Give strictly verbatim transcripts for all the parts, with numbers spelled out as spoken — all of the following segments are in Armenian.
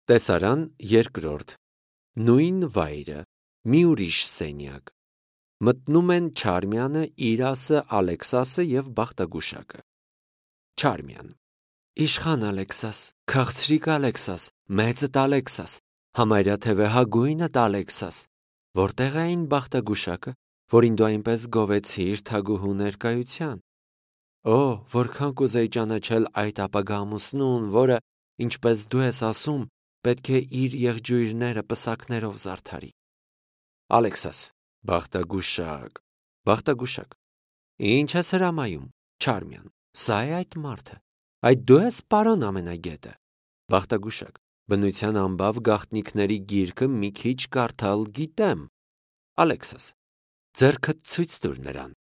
Տեսարան երկրորդ Նույն վայրը մի ուրիշ սենյակ Մտնում են Չարմյանը, Իրասը, Ալեքսասը և Բախտագուշակը Չարմյան Իշխան Ալեքսաս, քաղցրիկ Ալեքսաս, մեծդ Ալեքսաս, համարյա թե վեհագույնդ Ալեքսաս, որտեղ է այն Բախտագուշակը, որին դու այնպես գովեցիր թագուհու ներկայության։ Օ, որքան կուզեի ճանաչել այդ ապագա ամուսնուն, որը, ինչպես դու ես ասում, պետք է իր եղջյուրները պսակներով զարդարի։ Ալեքսաս, Բախտագուշակ, Բախտագուշակ, ինչ ես հրամայում, Չարմյան, սա է այդ մարդը, այդ դու ես պարոն ամենագետը։ Բախտագուշակ, բնության ամբավ գաղտնիքների գիրքը մի քիչ կարդալ գիտեմ։ Ալեքսաս, ձեռքդ ցույց տուր նրան։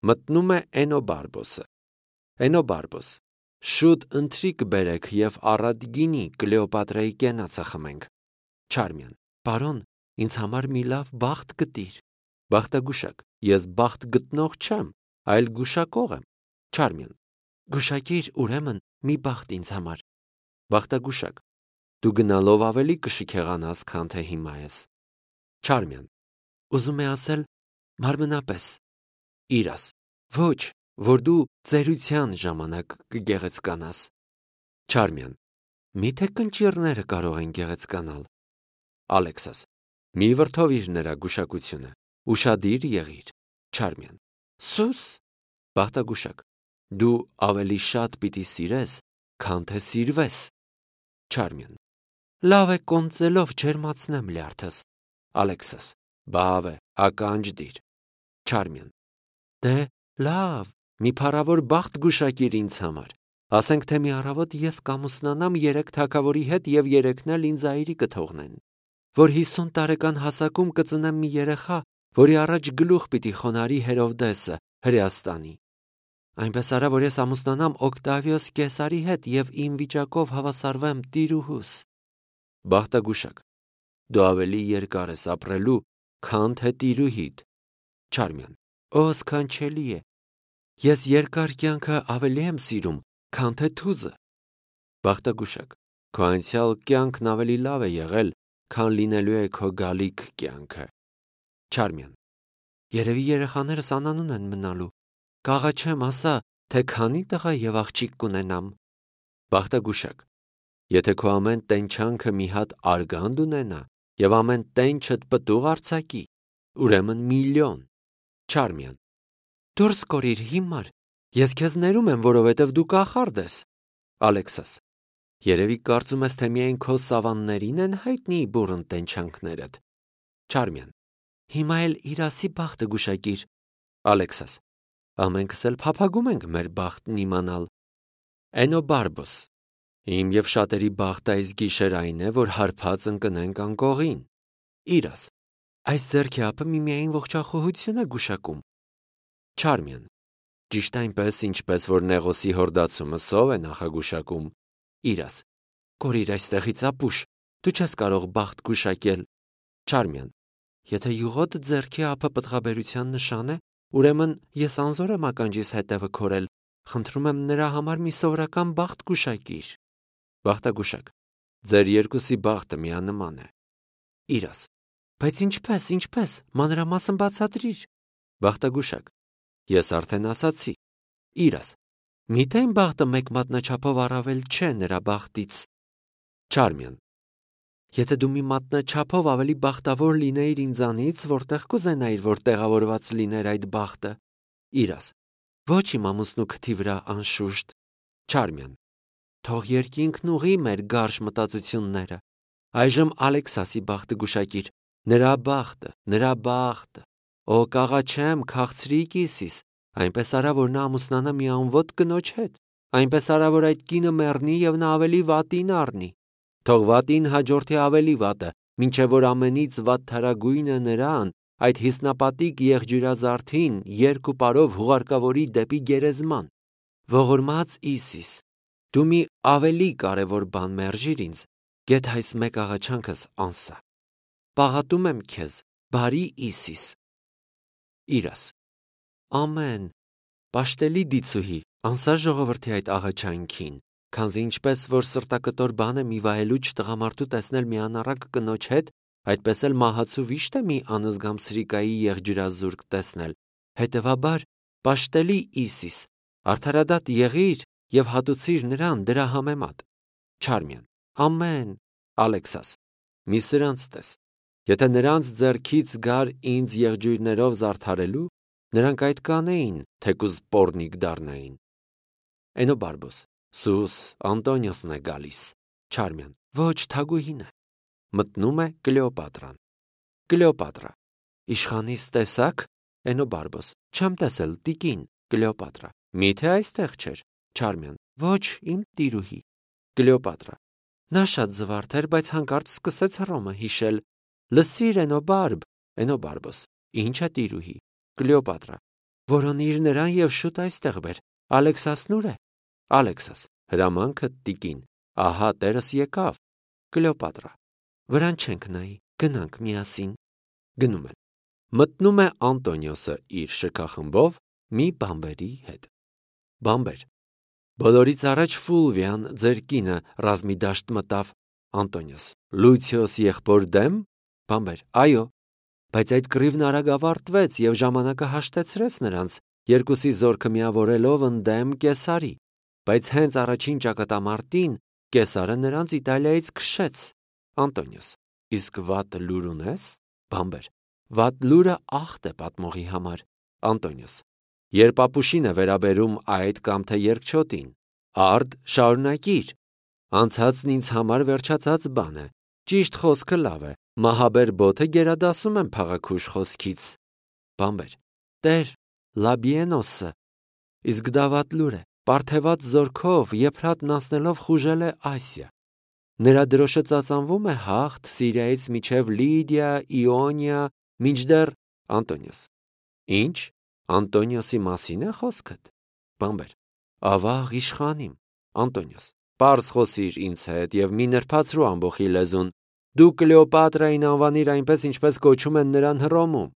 Մտնում է Էնոբարբոսը։ Էնոբարբոս, շուտ ընթրիք բերեք և առատ գինի Կլեոպատրայի կենացը խմենք։ Չարմյան, պարոն, ինձ համար մի լավ բախտ գտիր։ Բախտագուշակ, ես բախտ գտնող չեմ, այլ գուշակող եմ։ Չարմյան, գուշակիր ուրեմն մի բախտ ինձ համար։ Բախտագուշակ, դու գնալով ավելի կշքեղանաս, քան թե հիմա ես։ Չարմյան, ուզում է ասել մարմնապես։ Իրաս, ոչ, որ դու ծերության ժամանակ կգեղեցկանաս։ Չարմյան, միթե կնճիռները կարող են գեղեցկանալ։ Ալեքսաս, մի վրդովիր նրա գուշակությունը, ուշադիր եղիր։ Չարմյան, սուս։ Բախտագուշակ, դու ավելի շատ պիտի սիրես, քան թե սիրվես։ Չարմյան, լավ է կոնծելով ջերմացնեմ լյարդս։ Ալեքսաս, բավ է, ականջ դիր։ Չարմյան, դե լավ, մի փառավոր բախտ գուշակիր ինձ համար, ասենք թե մի առավոտ ես կամուսնանամ երեք թագավորի հետ և երեքն էլ ինձ այրի կթողնեն, որ հիսուն տարեկան հասակում կծնեմ մի երեխա, որի առաջ գլուխ պիտի խոնարհի Հերովդեսը, Հրեաստանի։ Այնպես արա, որ ես ամուսնանամ Օկտավիոս Կեսարի հետ և իմ վիճակով հավասարվեմ տիրուհուս։ Բախտագուշակ, դու ավելի երկար ես ապրելու, քան թե տիրուհիդ։ Չարմյան, օ սքանչելի է, ես երկար կյանքը ավելի եմ սիրում, քան թե թուզը։ Բախտագուշակ, քո անցյալ կյանքն ավելի լավ է եղել, քան լինելու է քո գալիք կյանքը։ Չարմյան, երևի երեխաներս անանուն են մնալու, կաղաչեմ ասա, թե քանի տղա և աղջիկ կունենամ։ Բախտագուշակ, եթե քո ամեն տենչանքը մի հատ արգանդ ունենա և ամեն տենչդ պտուղ արձակի, ուրեմն միլիոն։ Չարմյան, դուրս կորիր հիմար, ես քեզ ներում եմ, որովհետև դու կախարդ ես։ Ալեքսաս, երևի կարծում ես, թե միայն քո սավաններին են հայտնի բուռն տենչանքներդ։ Չարմյան, հիմա էլ Իրասի բախտը գուշակիր։ Ալեքսաս, ամենքս էլ փափագում ենք մեր բախտն իմանալ։ Էնոբարբոս, իմ և շատերի բախտը այս գիշեր այն է, որ հարբած ընկնենք անկողին։ Իրաս, այս ձեռքի ափը միմիայն ողջախոհություն է գուշակում։ Չարմյան, ճիշտ այնպես, ինչպես որ Նեղոսի հորդացումը սով է նախագուշակում։ Իրաս, կորիր այստեղից ապուշ, դու չես կարող բախտ գուշակել։ Չարմյան, եթե յուղոտ ձեռքի ափը պտղաբերության նշան է, ուրեմն ես անզոր եմ ականջիս հետևը քորել, խնդրում եմ նրա համար մի սովորական բախտ գուշակիր։ Բախտագուշակ, ձեր երկուսի բախտը միանման է։ Իրաս, բայց ինչպես, ինչպես, մանրամասն բացատրիր։ Բախտագուշակ, ես արդեն ասացի։ Իրաս, միթե իմ բախտը մեկ մատնաչափով առավել չէ նրա բախտից։ Չարմյան, եթե դու մի մատնաչափով ավելի բախտավոր լինեիր ինձանից, որտեղ կուզենայիր, որ տեղավորված լիներ այդ բախտը։ Իրաս, ոչ իմ ամուսնու քթի վրա անշուշտ։ Չարմյան, թող երկինքն ուղի մեր գարշ մտածությունները։ Այժմ Ալեքսասի բախտը գուշակիր, նրա բախտը, նրա բախտը։ Օ կաղաչեմ, քաղցրիկ Իսիս, այնպես արա, որ նա ամուսնանա մի անվոտ կնոջ հետ, այնպես արա, որ այդ կինը մեռնի և նա ավելի վատին առնի։ Թող վատին հաջորդի ավելի վատը, մինչև որ ամենից վատթարագույնը նրան, այդ հիսնապատիկ եղջյուրազարդին, երկու պարով հուղարկավորի դեպի գերեզման։ Ողորմած Իսիս, դու մի ավելի կարևոր բան մերժիր ինձ, գեթ այս մեկ աղաչանքս անսա։ Պաղատում եմ քեզ, բարի Իսիս։ Իրաս, ամեն, պաշտելի դիցուհի, անսա ժողովրդի այդ աղաչանքին, քանզի ինչպես որ սրտակտոր բան է մի վայելուչ տղամարդու տեսնել մի անառակ կնոջ հետ, այդպես էլ մահացու վիշտ է մի անզգամ սրիկայի եղջյուրազուրկ տեսնել։ Հետևաբար, պաշտելի Իսիս, արդարադատ եղիր եւ հատուցիր նրան դրա համեմատ։ Չարմյան. Ամեն։ Ալեքսաս. մի սրանց տես։ Եթե նրանց ձեռքից գար ինձ եղջյուրներով զարդարելու, նրանք այդ կանեին, թեկուզ պոռնիկ դառնային։ Էնոբարբոս. Սուս, Անտոնիոսն է գալիս։ Չարմյան. Ոչ, թագուհին է։ Մտնում է Կլեոպատրան։ Կլեոպատրա. Իշխանիս տեսակ։ Էնոբարբոս. Չեմ տեսել, տիկին։ Կլեոպատրա. Միթե այստեղ չէր։ Չարմյան. Ոչ, իմ տիրուհի։ Կլեոպատրա. Նա շատ զվարթ էր, բայց հանկարծ սկսեց Հռոմը հիշել։ Լսիր, Էնոբարբ։ Էնոբարբոս. Ինչ է տիրուհի։ Կլեոպատրա. Որոնիր նրան եւ շուտ այստեղ բեր։ Ալեքսասն ուր է։ Ալեքսաս. Հրամանքը տիկին։ Ահա տերս եկավ։ Կլեոպատրա. Վրան չենք նայի, գնանք միասին։ Գնում են։ Մտնում է Անտոնիոսը իր շքախմբով մի բամբերի հետ։ Բամբեր. Բոլորից առաջ Ֆուլվիան, ձեր կինը, ռազմի դաշտ մտավ։ Անտոնիոս. Լուցիոս եղբոր դեմ։ Բամբեր. Այո, բայց այդ կռիվն արագ ավարտվեց եւ ժամանակը հաշտեցրեց նրանց, երկուսի զորքը միավորելով ընդդեմ Կեսարի, բայց հենց առաջին ճակատամարտին Կեսարը նրանց Իտալիայից քշեց։ Անտոնիոս. Իսկ վատ լուր ունես։ Բամբեր. Վատ լուրը ախտ է պատմողի համար։ Անտոնիոս. Երբ ապուշին է վերաբերում այդ կամ թե երկչոտին, արդ շարունակիր։ Անցածն ինձ համար վերջացած բան է։ Ճիշտ խոսքը լավ է, մահաբեր բոթը գերադասում եմ փաղաքուշ խոսքից։ Բամբեր. Տեր, Լաբիենոսը։ Իսկ դա վատ լուր է, պարթեված զորքով եփրատն անցնելով խուժել է Ասիա։ Նրա դրոշը ծածանվում է հաղթ Սիրիայից միջև Լիդիա, Իոնիա, մինչդեռ Անտոնիոս. Ինչ, Անտոնիոսի մասին է խոսքդ։ Բամբեր. Ավաղ իշխանիմ։ Անտոնիոս. Պարզ խոսիր ինձ հետ եւ մի նրբացրու ամբողի լեզուն։ Դու Կլեոպատրային անվանիր այնպես, ինչպես կոչում են նրան Հռոմում։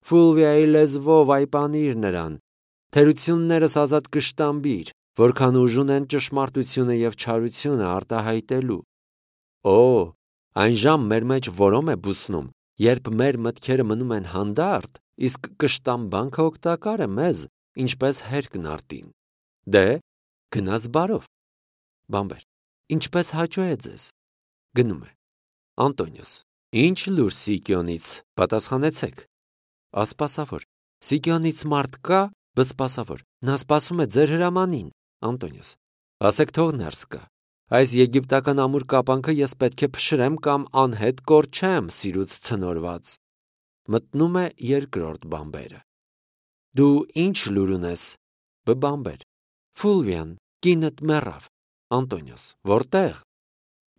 Ֆուլվիայի լեզվով այպանիր նրան։ Թերություններս ազատ կշտամբիր, որքան ուժ ունեն ճշմարտությունը եւ չարությունը արտահայտելու։ Օ, այն ժամ մեր մեջ որոմ է բուսնում, երբ մեր մտքերը մնում են հանդարտ, իսկ կշտամբանքը օգտակար է մեզ, ինչպես հերկն արտին։ Դե, գնաս բարով։ Բամբեր. Ինչպես հաճո է ձեզ։ Գնում է։ Անտոնիոս. Ինչ լուր Սիկիոնից, պատասխանեցեք։ Ասպասավոր. Սիկիոնից մարդ կա, բսպասավոր. Նա սպասում է ձեր հրամանին։ Անտոնիոս. Ասեք թող ներս գա։ Այս եգիպտական ամուր կապանքը ես պետք է փշրեմ կամ անհետ կորչեմ սիրուց ցնորված։ Մտնում է երկրորդ բամբերը։ Դու ինչ լուր ունես։ Բամբեր. Ֆուլվիան, կինդ մեռավ։ Անտոնիոս. Որտեղ։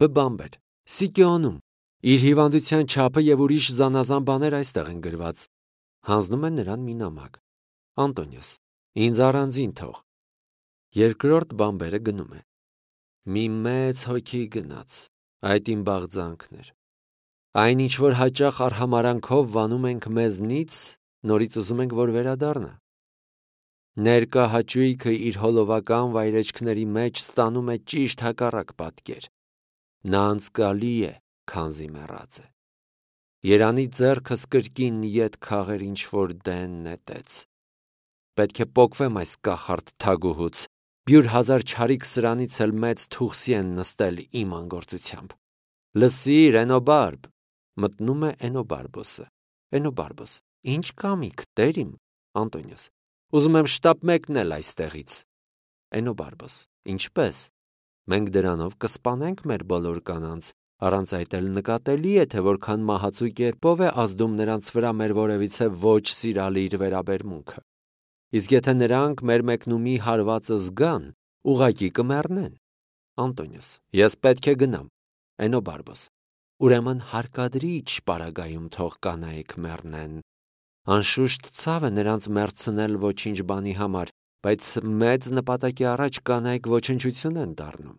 Բամբեր. Սիկիոնում։ Իր հիվանդության չափը եւ ուրիշ զանազան բաներ այստեղ են գրված։ Հանձնում են նրան մի նամակ։ Անտոնիոս. Ինձ առանձին թող։ Երկրորդ բամբերը գնում է։ Մի մեծ հոգի գնաց, այդ իմ բաղձանքն էր։ Այն ինչ որ հաճախ արհամարանքով վանում ենք մեզնից, նորից ուզում ենք որ վերադառնա։ Ներկա հաճույքը իր հոլովական վայրեջքների մեջ ստանում է ճիշտ հակառակ պատկեր։ Նա անցկալի է, քանզի մեռած է։ Երանի ձեռքս կրկին ետ քաղեր ինչ որ դեն նետեց։ Պետք է պոկվեմ այս կախարդ թագուհուց, բյուր հազար չարիք սրանից էլ մեծ թուղսի են նստել իմ անգործությամբ։ Լսիր, Էնոբարբ։ Մտնում է Էնոբարբոսը։ Էնոբարբոս. Ինչ կամիք, տեր իմ։ Անտոնիոս. Ուզում եմ շտապ մեկնել այստեղից։ Էնոբարբոս. Ինչպես։ Մենք դրանով կսպանենք մեր բոլոր կանանց, առանց այդ էլ նկատելի է, թե որքան մահացու կերպով է ազդում նրանց վրա մեր որևիցե ոչ սիրալիր վերաբերմունքը։ Իսկ եթե նրանք մեր մեկնումի հարվածը զգան, ուղղակի կմեռնեն։ Անտոնիոս. Ես պետք է գնամ։ Էնոբարբոս. Ուրեմն հարկադրիչ պարագայում թող կանայք մեռնեն։ Անշուշտ ցավ է նրանց մեռցնել ոչինչ բանի համար, բայց մեծ նպատակի առաջ կանայք ոչնչություն են դառնում։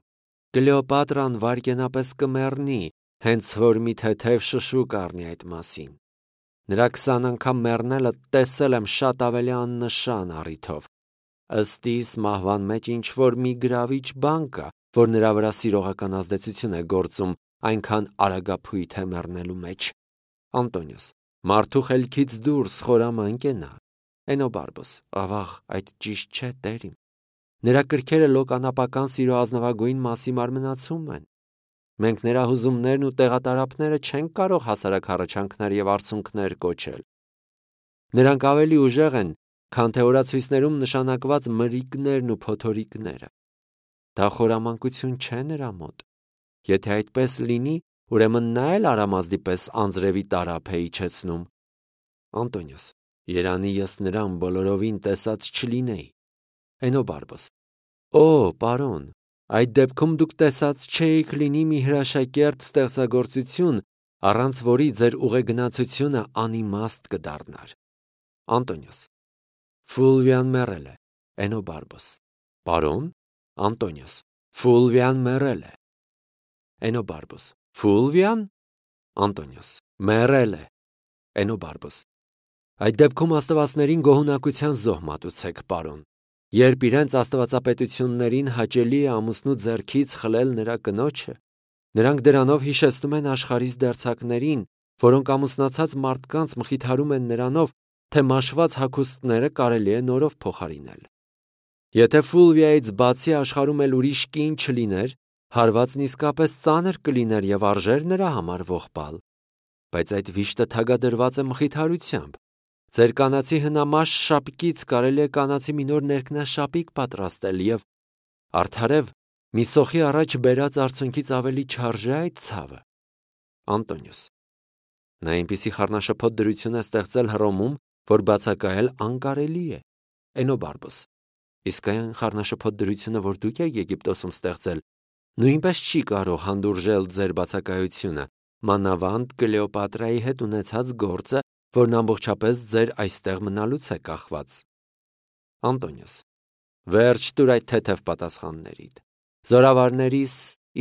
Կլեոպատրան վարկենապես կմեռնի, հենց որ մի թեթև շշուկ առնի այդ մասին։ Նրա քսան անգամ մեռնելը տեսել եմ շատ ավելի աննշան առիթով։ Ըստ իս մահվան մեջ ինչ որ մի գրավիչ բան կա, որ նրա վրա սիրողական ազդեցություն է գործում, այնքան արագափույթ է մեռնելու մեջ։ Անտոնիոս. Մարդու խելքից դուրս խորամը ընկենա։ Էնոբարբոս. Ավաղ, այդ ճիշտ չէ, տեր իմ։ Նրա կրքերը լոկանապական սիրո ազնվագույն մասի մարմնացում են։ Մենք նրա հուզումներն ու տեղատարափները չենք կարող հասարակ հառաչանքներ և արցունքներ կոչել։ Նրանք ավելի ուժեղ են, քան թե օրացույցներում նշանակված մրիկներն ու փոթորիկները։ Դա խորամանկություն չէ նրա մոտ։ Եթե այդպես լինի, ուրեմն նա էլ արամազդի պես անձրևի տարափ է իջեցնում։ Անտոնիոս. Երանի ես նրան բոլորովին տեսած չլինեի։ Էնոբարբոս. Օ, պարոն, այդ դեպքում դուք տեսած չէիք լինի մի հրաշակերտ ստեղծագործություն, առանց որի ձեր ուղեգնացությունը անիմաստ կդառնար։ Անտոնիոս. Ֆուլվիան մեռել է։ Էնոբարբոս. Պարոն։ Անտոնիոս. Ֆուլվիան մեռել է։ Էնոբարբոս. Ֆուլվիան։ Անտոնիոս. Մեռել է։ Էնոբարբոս. Այդ դեպքում աստվածներին գոհունակության զոհ մատուցեք, պարոն։ Երբ իրենց աստվածապետություններին հաճելի է ամուսնու ձեռքից խլել նրա կնոջը, նրանք դրանով հիշեցնում են աշխարհիս դերձակներին, որոնք ամուսնացած մարդկանց մխիթարում են նրանով, թե մաշված հագուստները կարելի է նորով փոխարինել։ Եթե Ֆուլվիայից բացի աշխարհում էլ ուրիշ կին չլիներ, հարվածն իսկապես ծանր կլիներ և արժեր նրա համար ողբալ։ Բայց այդ վիշտը թագադրված է մխիթարությամբ։ Ձեր կանացի հնամաշ շապիկից կարելի է կանացի մի նոր ներքնաշապիկ պատրաստել և արդարև մի սոխի առաջ բերած արցունքից ավելի չարժե այդ ցավը։ Անտոնիոս. Նա այնպիսի խառնաշփոթ դրություն է ստեղծել Հռոմում, որ բացակայել անկարելի է։ Էնոբարբոս. Իսկ այն խառնաշփոթ դրությունը, որ դուք եք Եգիպտոսում ստեղծել, նույնպես չի կարող հանդուրժել ձեր բացակայությունը, մանավանդ Կլեոպատրայի հետ ունեցած գործը, որն ամբողջապես ձեր այստեղ մնալուց է կախված։ Անտոնիոս. Վերջ տուր այդ թեթև պատասխաններիդ։ Զորավարներիս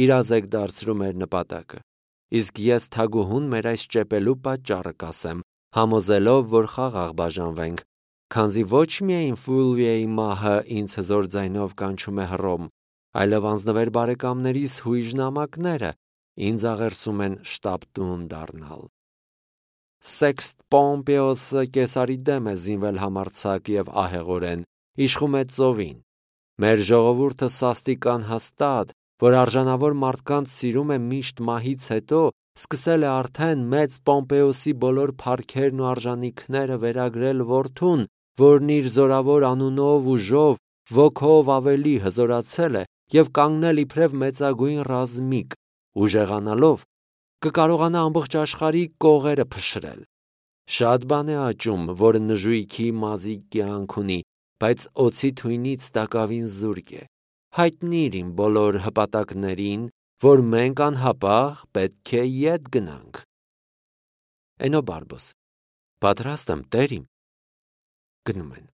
իրազ եք դարձրու մեր նպատակը, իսկ ես թագուհուն մեր այս ճեպելու պատճառը կասեմ, համոզելով, որ խաղաղ բաժանվենք, քանզի ոչ միայն Ֆուլվիայի մահը ինձ հզոր ձայնով կանչում է Հռոմ, այլև անձնվեր բարեկամներիս հույժ նամակները ինձ աղերսում են շտապտուն դառնալ։ Սեքստ Պոմպեոսը կեսարի դեմ է զինվել համարձակ և ահեղորեն, իշխում է ծովին։ Մեր ժողովուրդը սաստիկ անհաստատ, որ արժանավոր մարդկանց սիրում է միշտ մահից հետո, սկսել է արդեն մեծ Պոմպեոսի բոլոր փառքերն ու արժանիքները վերագրել որդուն, որն իր զորավոր անունով, ուժով, ոգով ավելի հզորացել է և կանգնել իբրև մեծագույն ռազմիկ, ուժեղանալով կկարողանա ամբողջ աշխարհի կողերը փշրել։ Շատ բան է աճում, որը նժույգի մազի կյանք ունի, բայց օձի թույնից տակավին զուրկ է։ Հայտնիր իմ բոլոր հպատակներին, որ մենք անհապաղ պետք է ետ գնանք։ Էնոբարբոս. Պատրաստ եմ, տեր իմ։ Գնում են։